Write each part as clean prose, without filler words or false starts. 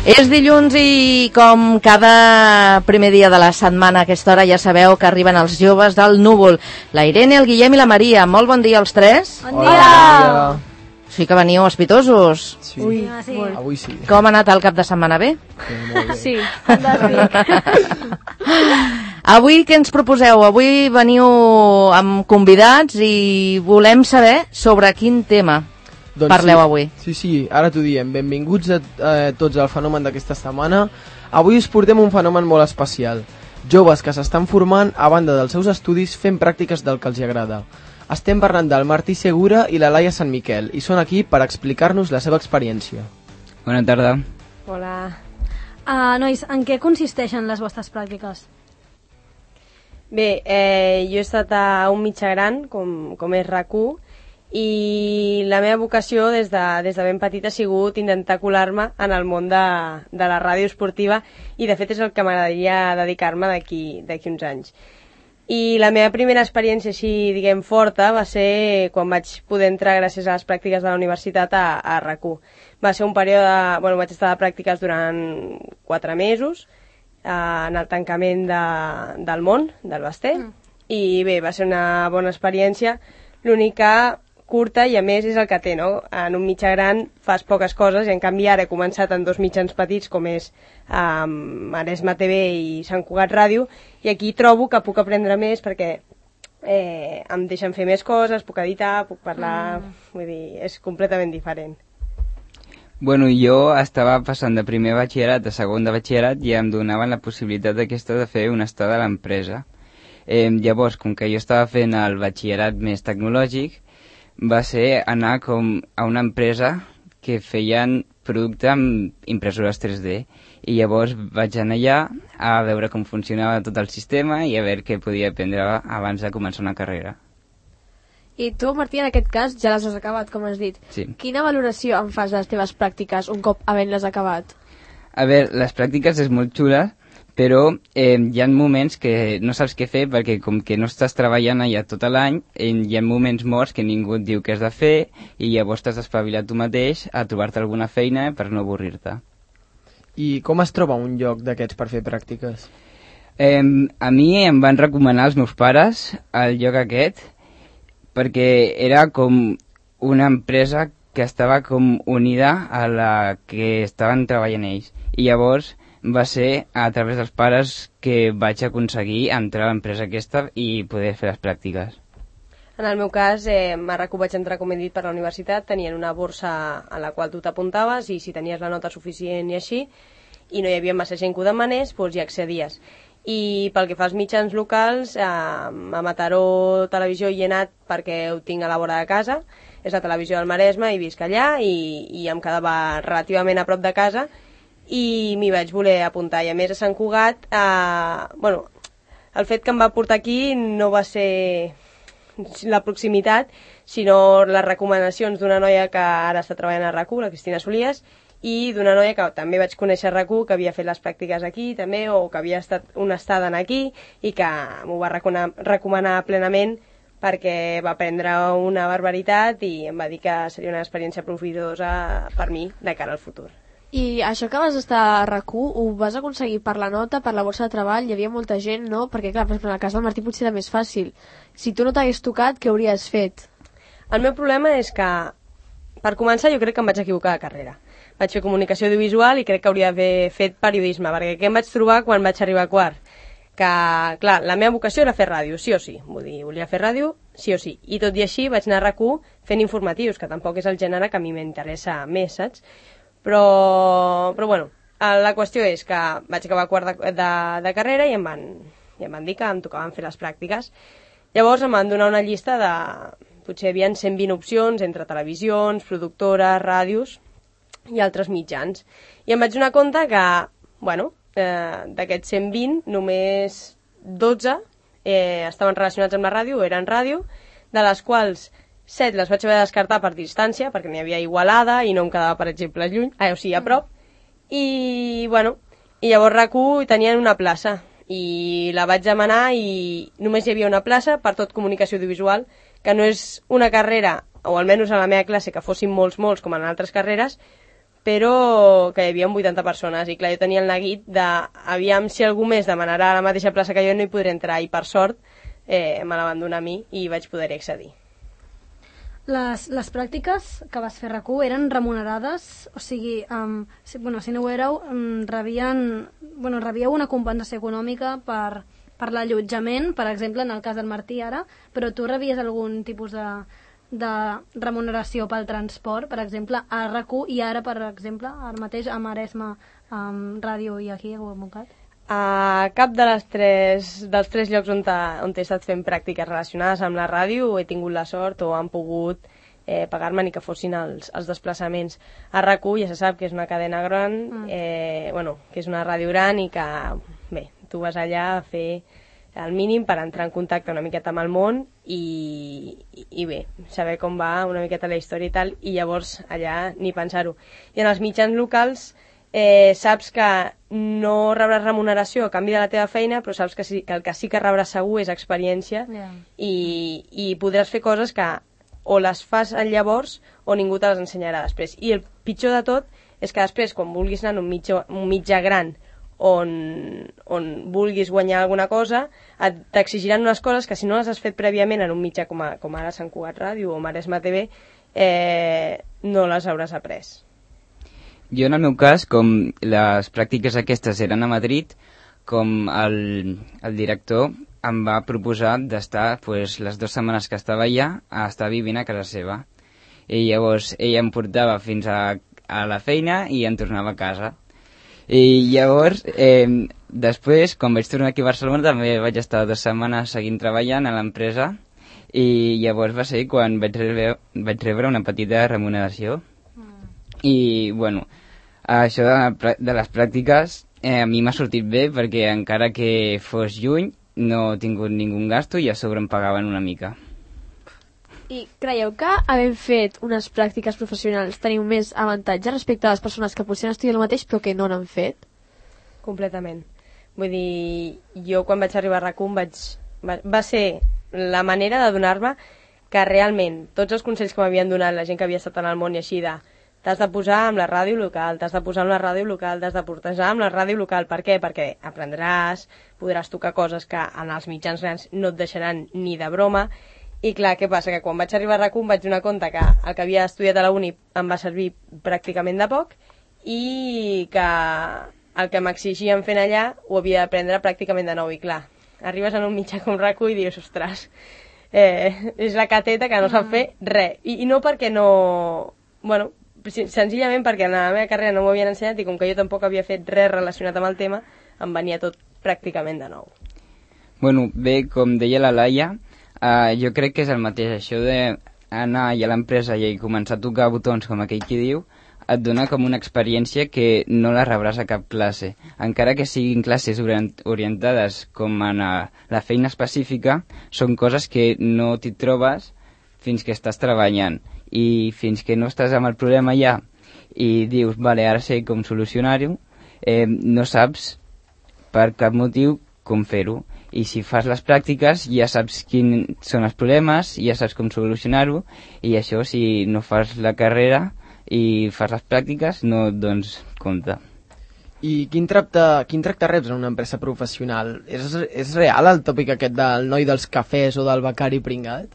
És dilluns i com cada primer dia de la setmana a aquesta hora ja sabeu que arriben els joves del Núvol. La Irene, el Guillem i la Maria. Molt bon dia als tres. Bon dia! Sí que veniu espitosos. Sí. Ui, sí. Avui sí. Com ha anat el cap de setmana? Bé? Molt bé. Sí, fantàstic. Avui què ens proposeu? Avui veniu amb convidats i volem saber sobre quin tema parleu avui. Sí, ara t'ho diem. Benvinguts a tots al fenomen d'aquesta setmana. Avui us portem un fenomen molt especial. Joves que s'estan formant a banda dels seus estudis fent pràctiques del que els agrada. Estem parlant del Martí Segura i la Laia Sant Miquel i són aquí per explicar-nos la seva experiència. Bona tarda. Hola. Nois, en què consisteixen les vostres pràctiques? Bé, jo he estat a un mitjà gran, com és RAC1, i la meva vocació des de ben petita ha sigut intentar colar-me en el món de la ràdio esportiva i de fet és el que m'agradaria dedicar-me d'aquí uns anys. I la meva primera experiència així, diguem, forta va ser quan vaig poder entrar gràcies a les pràctiques de la universitat a RAC1. Va ser un període, vaig estar de pràctiques durant 4 mesos en el tancament del món, del Basté, i bé, va ser una bona experiència, l'única curta i a més és el que té, no? En un mitjà gran fas poques coses i en canvi ara he començat en 2 mitjans petits com és Maresma TV i Sant Cugat Ràdio i aquí trobo que puc aprendre més perquè em deixen fer més coses, puc editar, puc parlar, vull dir, és completament diferent. Bueno, jo estava passant de primer batxillerat a segon de batxillerat i em donaven la possibilitat aquesta de fer una estada a l'empresa. Llavors, com que jo estava fent el batxillerat més tecnològic, va ser anar com a una empresa que feien producte amb impressores 3D i llavors vaig anar allà a veure com funcionava tot el sistema i a veure què podia aprendre abans de començar una carrera. I tu, Martí, en aquest cas ja les has acabat, com has dit. Sí. Quina valoració en fas de les teves pràctiques un cop havent-les acabat? A veure, les pràctiques és molt xula, però hi ha moments que no saps què fer perquè com que no estàs treballant allà tot l'any, hi ha moments morts que ningú et diu què has de fer i llavors t'has d'espavilar tu mateix a trobar-te alguna feina per no avorrir-te. I com es troba un lloc d'aquests per fer pràctiques? A mi em van recomanar els meus pares el lloc aquest perquè era com una empresa que estava com unida a la que estaven treballant ells i llavors va ser a través dels pares que vaig aconseguir entrar a l'empresa aquesta i poder fer les pràctiques. En el meu cas, a RAC1 vaig entrar, com he dit, per la universitat, tenien una borsa en la qual tu t'apuntaves i si tenies la nota suficient i així, i no hi havia massa gent que ho demanés, doncs hi accedies. I pel que fa als mitjans locals, a Mataró Televisió hi he anat perquè ho tinc a la vora de casa, és la televisió del Maresme i visc allà i em quedava relativament a prop de casa i m'hi vaig voler apuntar i a més a Sant Cugat el fet que em va portar aquí no va ser la proximitat sinó les recomanacions d'una noia que ara està treballant a RAC1, la Cristina Solies, i d'una noia que també vaig conèixer a RAC1 que havia fet les pràctiques aquí també o que havia estat una estada aquí i que m'ho va recomanar plenament perquè va aprendre una barbaritat i em va dir que seria una experiència profitosa per mi de cara al futur. I això que vas estar a RAC1 ho vas aconseguir per la nota, per la borsa de treball? Hi havia molta gent, no? Perquè, clar, per exemple, en el cas del Martí potser era més fàcil. Si tu no t'hagués tocat, què hauries fet? El meu problema és que, per començar, jo crec que em vaig equivocar de carrera. Vaig fer comunicació audiovisual i crec que hauria d'haver fet periodisme, perquè què em vaig trobar quan vaig arribar a quart? Que, clar, la meva vocació era fer ràdio, sí o sí. Vull dir, volia fer ràdio, sí o sí. I tot i així vaig anar a RAC1 fent informatius, que tampoc és el gènere que a mi m'interessa més, saps? Però bueno, la qüestió és que vaig acabar quart de carrera i em van dir que em tocaven fer les pràctiques. Llavors em van donar una llista de... Potser hi havia 120 opcions entre televisions, productores, ràdios i altres mitjans. I em vaig donar compte que, d'aquests 120, només 12 estaven relacionats amb la ràdio, eren ràdio, de les quals 7 les vaig haver de descartar per distància, perquè n'hi havia Igualada i no em quedava, per exemple, lluny, o sigui, a prop. I llavors RAC1 tenien una plaça i la vaig demanar i només hi havia una plaça per tot comunicació audiovisual, que no és una carrera, o almenys a la meva classe, que fossin molts, com en altres carreres, però que hi havia 80 persones, i clar, jo tenia el neguit de, aviam si algú més demanarà a la mateixa plaça que jo, no hi podré entrar, i per sort me la van donar a mi i vaig poder-hi accedir. Les pràctiques que vas fer a RAC1 eren remunerades? O sigui, si no ho éreu, rebíeu una compensació econòmica per l'allotjament, per exemple, en el cas del Martí ara, però tu rebies algun tipus de remuneració pel transport, per exemple, a RAC1 i ara, per exemple, ara mateix a Maresme, Ràdio i aquí a Montgat? A cap dels tres llocs on he estat fent pràctiques relacionades amb la ràdio he tingut la sort o han pogut pagar-me ni que fossin els desplaçaments. A RAC1 ja se sap que és una cadena gran, que és una ràdio gran i que, bé, tu vas allà a fer el mínim per entrar en contacte una miqueta amb el món i bé, saber com va una miqueta la història i tal, i llavors allà ni pensar-ho. I en els mitjans locals saps que no rebràs remuneració a canvi de la teva feina, però saps que el que sí que rebràs segur és experiència, i podràs fer coses que o les fas llavors o ningú te les ensenyarà després. I el pitjor de tot és que després, quan vulguis anar en un mitjà gran on vulguis guanyar alguna cosa, t'exigiran unes coses que si no les has fet prèviament en un mitjà com ara Sant Cugat Ràdio o Maresme TV, no les hauràs après. Jo, en el meu cas, com les pràctiques aquestes eren a Madrid, com el director em va proposar d'estar les 2 setmanes que estava allà a estar vivint a casa seva. I llavors ella em portava fins a la feina i em tornava a casa. I llavors, després, quan vaig tornar aquí a Barcelona, també vaig estar 2 setmanes seguint treballant a l'empresa, i llavors va ser quan vaig rebre una petita remuneració. I, bueno, això de les pràctiques a mi m'ha sortit bé perquè encara que fos juny no he tingut ningú gasto i a sobre em pagaven una mica. I creieu que havent fet unes pràctiques professionals teniu més avantatge respecte a les persones que potser han estudiat el mateix però que no n'han fet? Completament. Vull dir, jo quan vaig arribar a RAC1 va ser la manera de donar-me que realment tots els consells que m'havien donat la gent que havia estat en el món i així de t'has de posar amb la ràdio local, t'has de posar amb la ràdio local, t'has de portejar amb la ràdio local. Per què? Perquè aprendràs, podràs tocar coses que en els mitjans grans no et deixaran ni de broma. I clar, què passa? Que quan vaig arribar a RAC1 vaig donar compte que el que havia estudiat a la uni em va servir pràcticament de poc i que el que m'exigien fent allà ho havia d'aprendre pràcticament de nou. I clar, arribes en un mitjà com RAC1 i dius, ostres, és la cateta que no sap fer res. I no perquè no... Bueno, senzillament perquè en la meva carrera no m'ho havien ensenyat i com que jo tampoc havia fet res relacionat amb el tema, em venia tot pràcticament de nou. Bueno, bé, com deia la Laia, jo crec que és el mateix. Això d'anar a l'empresa i començar a tocar botons, com aquell qui diu, et dona com una experiència que no la rebràs a cap classe. Encara que siguin classes orientades com a la feina específica, són coses que no t'hi trobes fins que estàs treballant. I fins que no estàs amb el problema ja i dius, vale, ara sé com solucionar-ho, no saps per cap motiu com fer-ho. I si fas les pràctiques ja saps quins són els problemes, ja saps com solucionar-ho, i això, si no fas la carrera i fas les pràctiques, no et dones compte. I quin tracte reps en una empresa professional? És real el tòpic aquest del noi dels cafès o del becari pringat?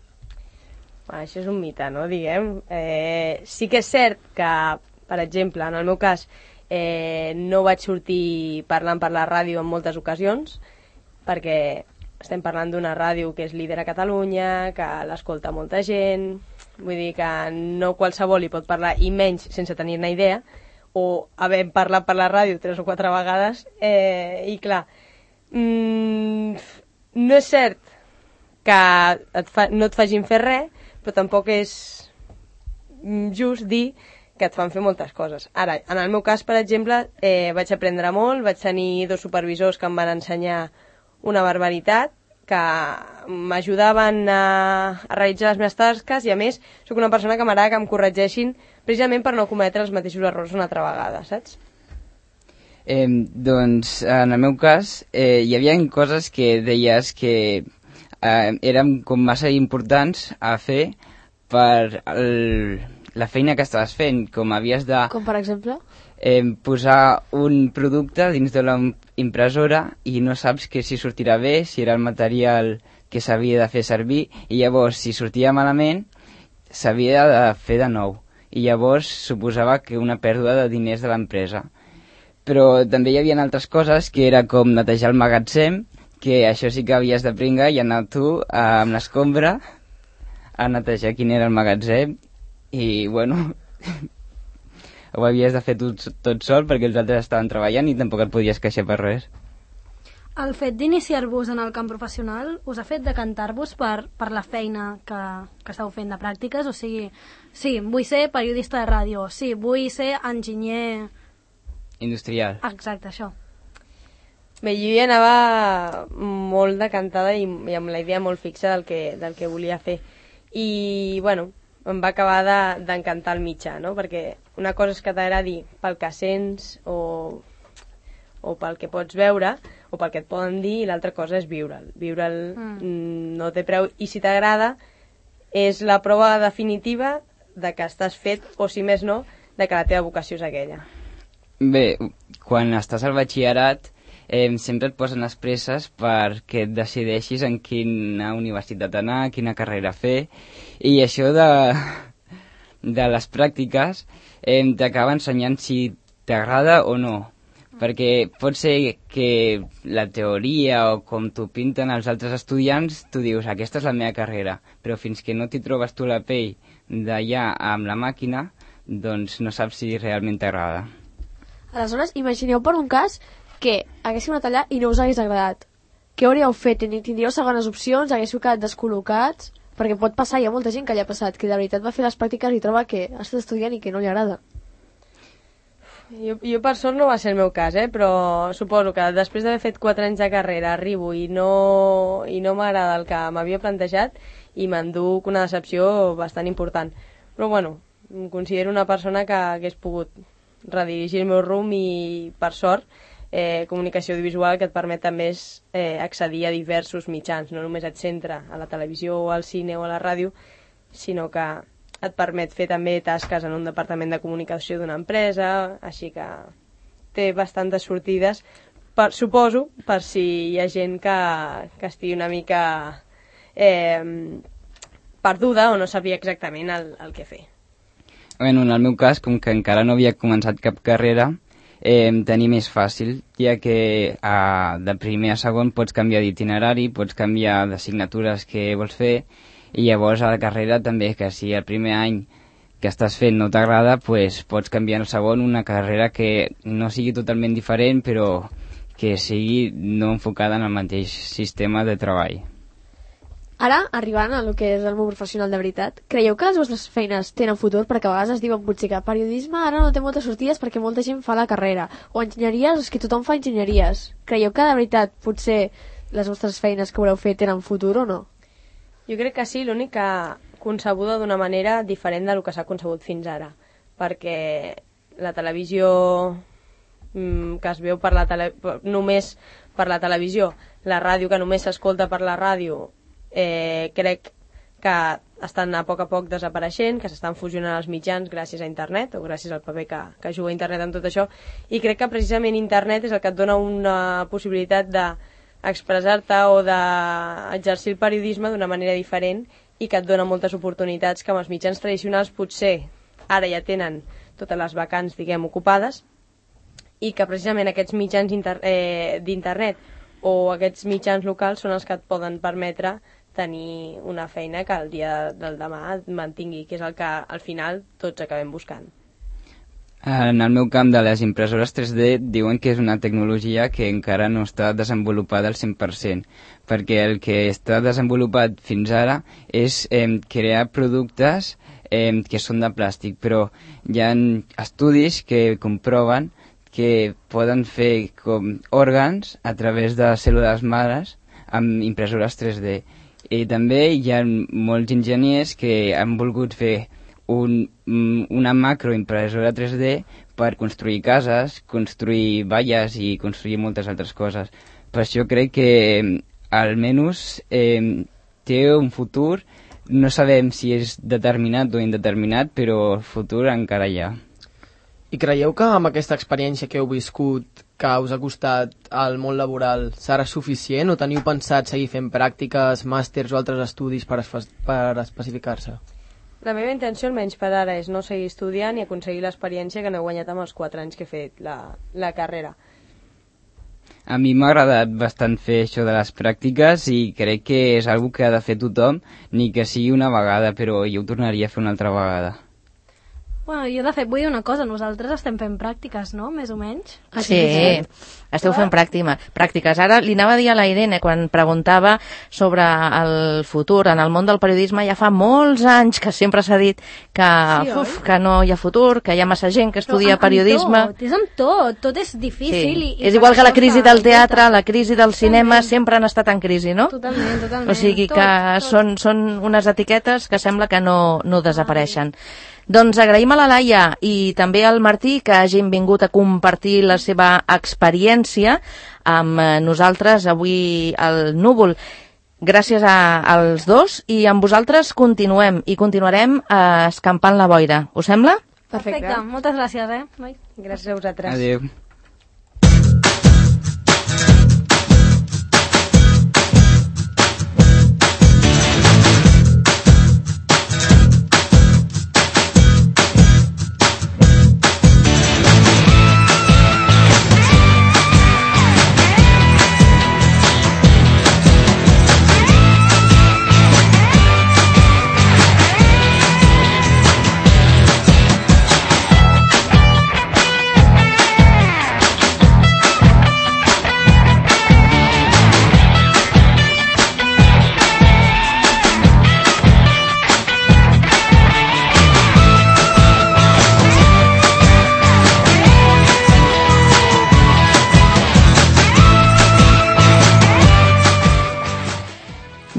Això és un mite, no, diguem. Sí que és cert que, per exemple, en el meu cas, no vaig sortir parlant per la ràdio en moltes ocasions, perquè estem parlant d'una ràdio que és líder a Catalunya, que l'escolta molta gent, vull dir que no qualsevol hi pot parlar, i menys sense tenir-ne idea, o havent parlat per la ràdio 3 o 4 vegades, i clar, no és cert que no et facin fer res, però tampoc és just dir que et fan fer moltes coses. Ara, en el meu cas, per exemple, vaig aprendre molt, vaig tenir 2 supervisors que em van ensenyar una barbaritat, que m'ajudaven a realitzar les meves tasques, i a més, sóc una persona que m'agrada que em corregeixin precisament per no cometre els mateixos errors una altra vegada, saps? Doncs, en el meu cas, hi havia coses que deies que eren com massa importants a fer per la feina que estaves fent, com havies de Com per exemple? posar un producte dins de la impressora i no saps que si sortirà bé, si era el material que s'havia de fer servir, i llavors si sortia malament s'havia de fer de nou, i llavors suposava que una pèrdua de diners de l'empresa. Però també hi havia altres coses, que era com netejar el magatzem, que això sí que havies de pringar i anar tu amb l'escombra a netejar quin era el magatzem, i bueno, ho havies de fer tot sol perquè els altres estaven treballant i tampoc et podies queixar per res. El fet d'iniciar-vos en el camp professional us ha fet decantar-vos per la feina que esteu fent de pràctiques? O sigui, sí, vull ser periodista de ràdio, sí, vull ser enginyer... Industrial. Exacte, això. Bé, jo hi anava molt decantada i amb la idea molt fixa del que volia fer. I, bueno, em va acabar d'encantar el mitjà, no? Perquè una cosa és que t'agradi pel que sents o pel que pots veure o pel que et poden dir, i l'altra cosa és viure'l. Viure'l no té preu, i si t'agrada és la prova definitiva de que estàs fet, o si més no, de que la teva vocació és aquella. Bé, quan estàs al batxillerat sempre et posen les presses perquè et decideixis en quina universitat anar, quina carrera fer, i això de les pràctiques t'acaba ensenyant si t'agrada o no, perquè pot ser que la teoria o com t'ho pinten els altres estudiants, tu dius, aquesta és la meva carrera, però fins que no t'hi trobes tu la pell d'allà amb la màquina, doncs no saps si realment t'agrada. Aleshores, imagineu per un cas que haguéssiu anat allà i no us hagués agradat. Què hauríeu fet? Tindríeu segones opcions? Haguéssiu quedat descol·locats? Perquè pot passar, hi ha molta gent que li ha passat, que de veritat va fer les pràctiques i troba que ha estat estudiant i que no li agrada. Jo per sort no va ser el meu cas, però suposo que després d'haver fet 4 anys de carrera arribo i no m'agrada el que m'havia plantejat i m'enduc una decepció bastant important. Però bueno, em considero una persona que hagués pogut redirigir el meu rumb i, per sort, comunicació audiovisual, que et permet també accedir a diversos mitjans, no només et centra a la televisió o al cine o a la ràdio, sinó que et permet fer també tasques en un departament de comunicació d'una empresa, així que té bastantes sortides, suposo, per si hi ha gent que estigui una mica perduda o no sabia exactament el que fer. Bueno, en el meu cas, com que encara no havia començat cap carrera, tenir més fàcil, ja que de primer a segon pots canviar d'itinerari, pots canviar d'assignatures que vols fer, i llavors a la carrera també, que si el primer any que estàs fent no t'agrada, pues pots canviar al segon una carrera que no sigui totalment diferent, però que sigui no enfocada en el mateix sistema de treball. Ara, arribant a lo que és el món professional de veritat, creieu que les vostres feines tenen futur? Perquè a vegades es diuen potser que periodisme ara no té moltes sortides perquè molta gent fa la carrera, o enginyeries, és que tothom fa enginyeries. Creieu que de veritat potser les vostres feines que voleu fer tenen futur o no? Jo crec que sí, l'únic que concebuda d'una manera diferent del que s'ha concebut fins ara, perquè la televisió que es veu només per la televisió, la ràdio que només s'escolta per la ràdio, crec que estan a poc desapareixent, que s'estan fusionant els mitjans gràcies a internet o gràcies al paper que juga internet amb tot això, i crec que precisament internet és el que et dona una possibilitat d'expressar-te o d'exercir el periodisme d'una manera diferent i que et dona moltes oportunitats que amb els mitjans tradicionals potser ara ja tenen totes les vacants, diguem, ocupades, i que precisament aquests mitjans d'internet o aquests mitjans locals són els que et poden permetre tenir una feina que el dia del demà et mantingui, que és el que al final tots acabem buscant. En el meu camp de les impressores 3D diuen que és una tecnologia que encara no està desenvolupada al 100%, perquè el que està desenvolupat fins ara és crear productes que són de plàstic, però hi ha estudis que comproven que poden fer com òrgans a través de cèl·lules mares amb impressores 3D. I també hi ha molts enginyers que han volgut fer una macroimpressora 3D per construir cases, construir valles i construir moltes altres coses. Per això crec que almenys té un futur no sabem si és determinat o indeterminat, però el futur encara hi ha. I creieu que amb aquesta experiència que heu viscut, que us ha costat al món laboral, serà suficient o teniu pensat seguir fent pràctiques, màsters o altres estudis per especificar-se? La meva intenció, almenys per ara, és no seguir estudiant i aconseguir l'experiència que n'he guanyat amb els 4 anys que he fet la carrera. A mi m'ha agradat bastant fer això de les pràctiques i crec que és algo que ha de fer tothom, ni que sigui una vegada, però jo ho tornaria a fer una altra vegada. Bueno, jo de fet vull dir una cosa, nosaltres estem fent pràctiques, no?, més o menys. Sí, esteu fent pràctiques. Ara li anava a dir a la Irene, quan preguntava sobre el futur en el món del periodisme, ja fa molts anys que sempre s'ha dit que, que no hi ha futur, que hi ha massa gent que estudia periodisme. És amb tot és difícil. Sí. És igual que la crisi del teatre, la crisi del cinema, sempre han estat en crisi, no? Totalment. O sigui que són unes etiquetes que sembla que no desapareixen. Doncs agraïm a la Laia i també al Martí que hagin vingut a compartir la seva experiència amb nosaltres avui al Núvol. Gràcies als dos i amb vosaltres continuem i continuarem escampant la boira. Us sembla? Perfecte. Moltes gràcies, noi? Gràcies a vosaltres. Adéu.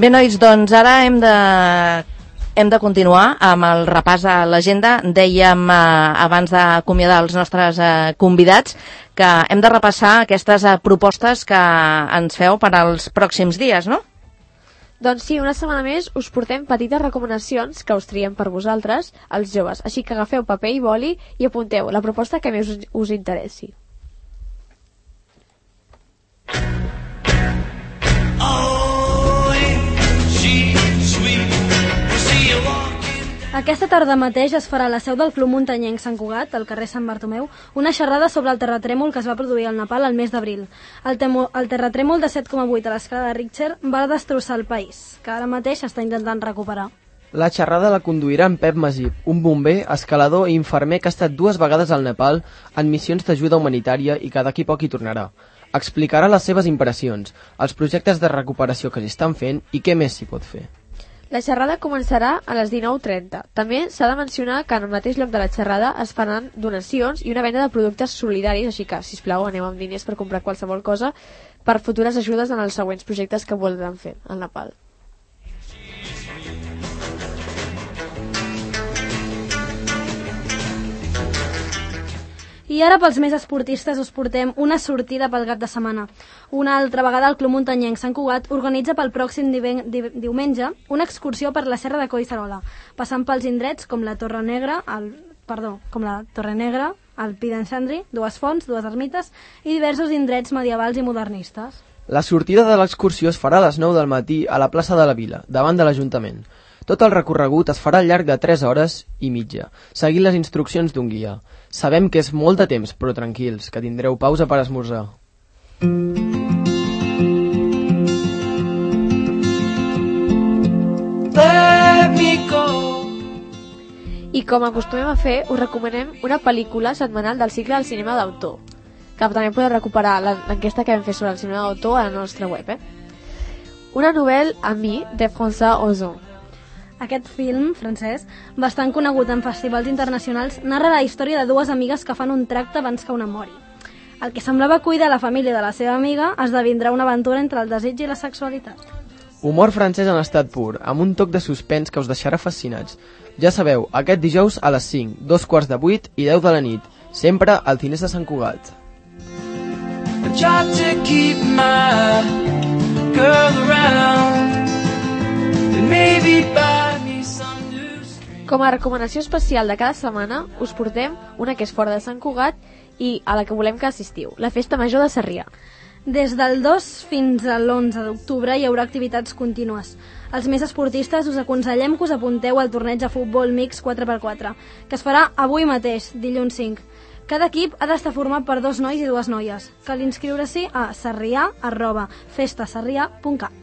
Bé, nois, doncs ara hem de continuar amb el repàs a l'agenda. Dèiem abans d'acomiadar els nostres convidats que hem de repassar aquestes propostes que ens feu per als pròxims dies, no? Doncs sí, una setmana més us portem petites recomanacions que us triem per vosaltres, els joves. Així que agafeu paper i boli i apunteu la proposta que més us interessi. Aquesta tarda mateix es farà a la seu del Club Muntanyenc Sant Cugat, al carrer Sant Bartomeu, una xerrada sobre el terratrèmol que es va produir al Nepal al mes d'abril. El terratrèmol de 7,8 a l'escala de Richter va destrossar el país, que ara mateix s'està intentant recuperar. La xerrada la conduirà en Pep Masip, un bomber, escalador i infermer que ha estat 2 vegades al Nepal en missions d'ajuda humanitària i que d'aquí poc hi tornarà. Explicarà les seves impressions, els projectes de recuperació que s'hi estan fent i què més s'hi pot fer. La xerrada començarà a les 19:30. També s'ha de mencionar que en el mateix lloc de la xerrada es faran donacions i una venda de productes solidaris, així que, sisplau, aneu amb diners per comprar qualsevol cosa per futures ajudes en els següents projectes que voldran fer al Nepal. I ara pels més esportistes us portem una sortida pel cap de setmana. Una altra vegada el Club Muntanyenc Sant Cugat organitza pel pròxim diumenge una excursió per la Serra de Collserola, passant pels indrets com la Torre Negra, el Pi d'en Sandri, 2 fonts, 2 ermites i diversos indrets medievals i modernistes. La sortida de l'excursió es farà a les 9 del matí a la plaça de la Vila, davant de l'Ajuntament. Tot el recorregut es farà al llarg de 3 hores i mitja, seguint les instruccions d'un guia. Sabem que és molt de temps, però tranquils, que tindreu pausa per esmorzar. I com acostumem a fer, us recomanem una pel·lícula setmanal del cicle del cinema d'autor, que també podeu recuperar l'enquesta que vam fer sobre el cinema d'autor a la nostra web. Una novel·la Ami, de François Ozon. Aquest film francès, bastant conegut en festivals internacionals, narra la història de 2 amigues que fan un tracte abans que una mori. El que semblava cuidar la família de la seva amiga esdevindrà una aventura entre el desig i la sexualitat. Humor francès en estat pur, amb un toc de suspens que us deixarà fascinats. Ja sabeu, aquest dijous a les 5, 7:45 i 10 de la nit, sempre al Cinesa de Sant Cugat. I tried to keep my girl around, and maybe by Com a recomanació especial de cada setmana, us portem una que és fora de Sant Cugat i a la que volem que assistiu, la Festa Major de Sarrià. Des del 2 fins a l'11 d'octubre hi haurà activitats contínues. Els més esportistes us aconsellem que us apunteu al torneig de futbol mix 4x4, que es farà avui mateix, dilluns 5. Cada equip ha d'estar format per 2 nois i 2 noies. Cal inscriure-s'hi a sarrià@festasarrià.cat.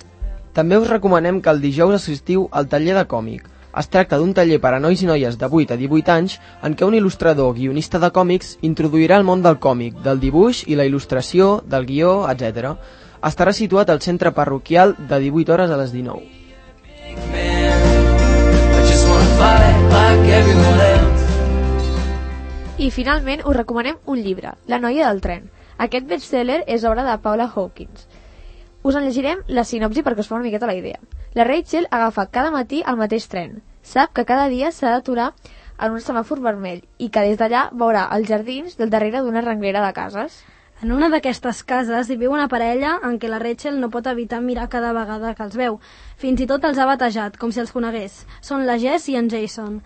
També us recomanem que el dijous assistiu al taller de còmic. Es tracta d'un taller per a nois i noies de 8 a 18 anys en què un il·lustrador guionista de còmics introduirà el món del còmic, del dibuix i la il·lustració, del guió, etc. Estarà situat al centre parroquial de 18 hores a les 19. I finalment us recomanem un llibre, La noia del tren. Aquest bestseller és obra de Paula Hawkins. Us en llegirem la sinopsi perquè us fa una miqueta la idea. La Rachel agafa cada matí el mateix tren. Sap que cada dia s'ha d'aturar en un semàfor vermell i que des d'allà veurà els jardins del darrere d'una renglera de cases. En una d'aquestes cases hi viu una parella en què la Rachel no pot evitar mirar cada vegada que els veu. Fins i tot els ha batejat, com si els conegués. Són la Jess i en Jason.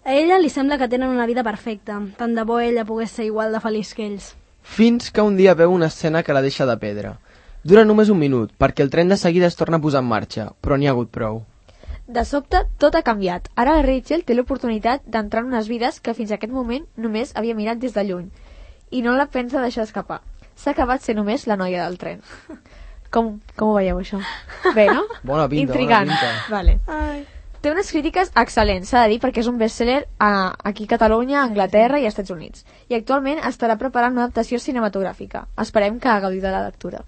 A ella li sembla que tenen una vida perfecta. Tant de bo ella pogués ser igual de feliç que ells. Fins que un dia veu una escena que la deixa de pedra. Dura només un minut, perquè el tren de seguida es torna a posar en marxa, però n'hi ha hagut prou. De sobte, tot ha canviat. Ara la Rachel té l'oportunitat d'entrar en unes vides que fins a aquest moment només havia mirat des de lluny. I no la pensa deixar escapar. S'ha acabat sent només la noia del tren. Com ho veieu, això? Bé, no? Bona pinta, Intrigant. bona pinta. Vale. Té unes crítiques excel·lents, s'ha de dir, perquè és un bestseller aquí a Catalunya, a Anglaterra i als Estats Units. I actualment estarà preparant una adaptació cinematogràfica. Esperem que gaudiu de la lectura.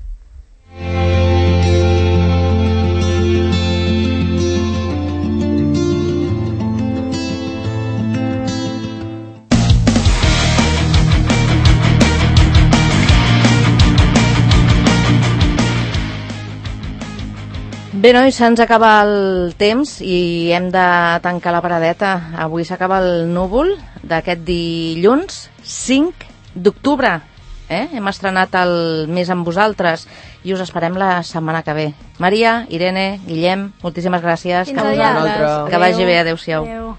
Bé, nois, se'ns acaba el temps i hem de tancar la paradeta. Avui s'acaba el núvol d'aquest dilluns 5 d'octubre. Hem estrenat el Més amb vosaltres i us esperem la setmana que ve. Maria, Irene, Guillem, moltíssimes gràcies. Fins aviat. Que vagi bé, adeu-siau. Adeu.